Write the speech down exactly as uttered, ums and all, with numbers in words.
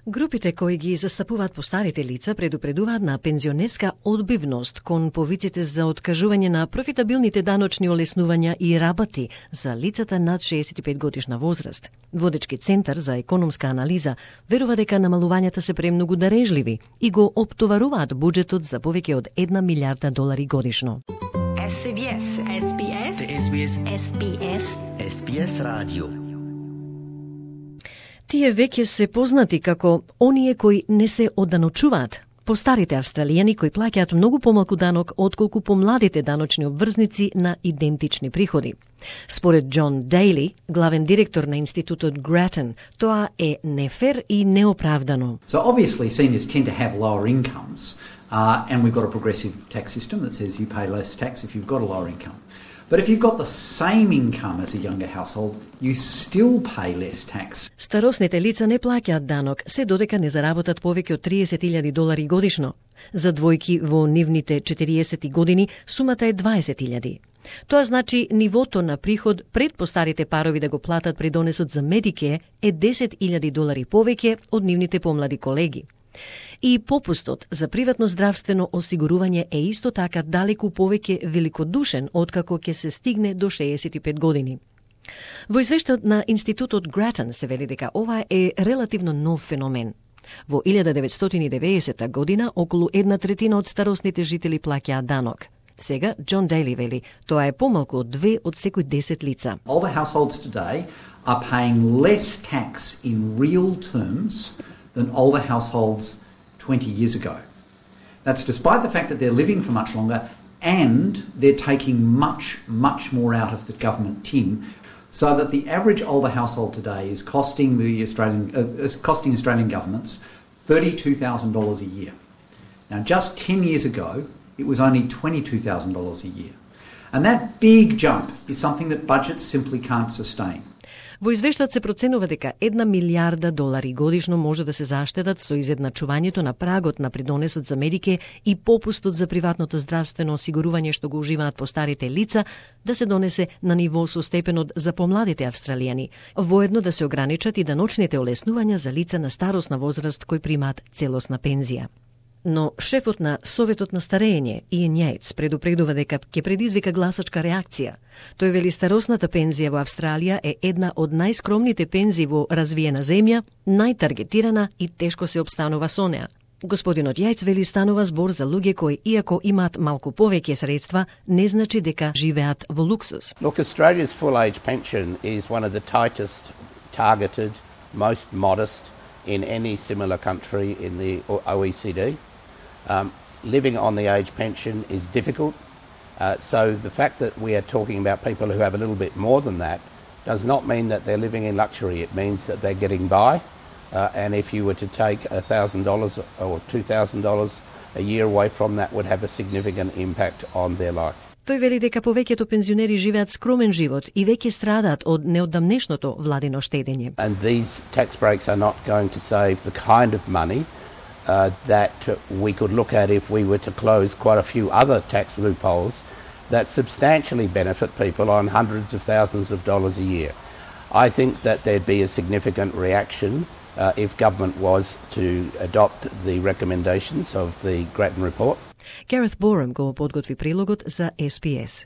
Групите кои ги застапуваат постарите лица предупредуваат на пензионерска одбивност кон повиците за откажување на профитабилните даночни олеснувања и рабати за лицата над шеесет и пет годишна возраст. Водечки центар за економска анализа верува дека намалувањата се премногу дарежливи и го оптоваруваат буџетот за повеќе од една милиарда долари годишно. Ес Би Ес, Ес Би Ес, Ес Би Ес, Ес Би Ес, Ес Би Ес радио. Тие веќе се познати како оние кои не се одданочуваат. Постарите австралијани кои плаќаат многу помалку данок отколку помладите даночни обврзници на идентични приходи. Според Џон Дејли, главен директор на институтот Grattan, тоа е нефер и неоправдано. So obviously seniors tend to have lower incomes, uh, and we've got a progressive tax system that says you pay less tax if you've got a lower income. But if you've got the same income as a younger household, you still pay less tax. Старосните лица не плаќаат данок, се додека не заработат повеќе од триесет илјади долари годишно. За двојки во нивните четириесет години сумата е дваесет илјади. Тоа значи нивото на приход пред постарите парови да го платат придонесот за Медикеј е десет илјади долари повеќе од нивните помлади колеги. И попустот за приватно здравствено осигурување е исто така далеку повеќе великодушен откако ќе се стигне до шеесет и пет години. Во извештајот на институтот Grattan се вели дека ова е релативно нов феномен. Во илјада деветстотини и деветдесета година околу една третина од старосните жители плаќаат данок. Сега Џон Дејли вели тоа е помалку од две од секој десет лица. Older households today are paying less tax in real terms than older households twenty years ago. That's despite the fact that they're living for much longer and they're taking much, much more out of the government tin, so that the average older household today is costing the Australian uh, is costing Australian governments thirty-two thousand dollars a year. Now, just ten years ago, it was only twenty-two thousand dollars a year. And that big jump is something that budgets simply can't sustain. Во извештајот се проценува дека една милиарда долари годишно може да се заштедат со изедначувањето на прагот на придонесот за Медикеј и попустот за приватното здравствено осигурување што го уживаат постарите лица да се донесе на ниво со степенот за помладите австралијани, воедно да се ограничат и даночните олеснувања за лица на старосна возраст кои примаат целосна пензија. Но шефот на Советот на старење, Иен Јајц, предупредува дека ќе предизвика гласачка реакција. Тој вели старосната пензија во Австралија е една од најскромните пензии во развиена земја, најтаргетирана и тешко се обстанува со неа. Господинот Јајц вели станува збор за луѓе кои, иако имаат малку повеќе средства, не значи дека живеат во луксус. Look, Australia's full age pension is one of the tightest targeted, most modest in any similar country in the O E C D. Um, living on the age pension is difficult, uh, so the fact that we are talking about people who have a little bit more than that does not mean that they're living in luxury. It means that they're getting by, uh, and if you were to take one thousand dollars or two thousand dollars a year away from that would have a significant impact on their life. Тој вели дека повеќето пензионери живеат скромен живот и веќе страдаат од неодамнешното владино штедење. And these tax breaks are not going to save the kind of money uh, that we could look at if we were to close quite a few other tax loopholes that substantially benefit people on hundreds of thousands of dollars a year. I think that there'd be a significant reaction uh, if government was to adopt the recommendations of the Grattan report. Gareth Borum го подготви прилогот за Ес Би Ес.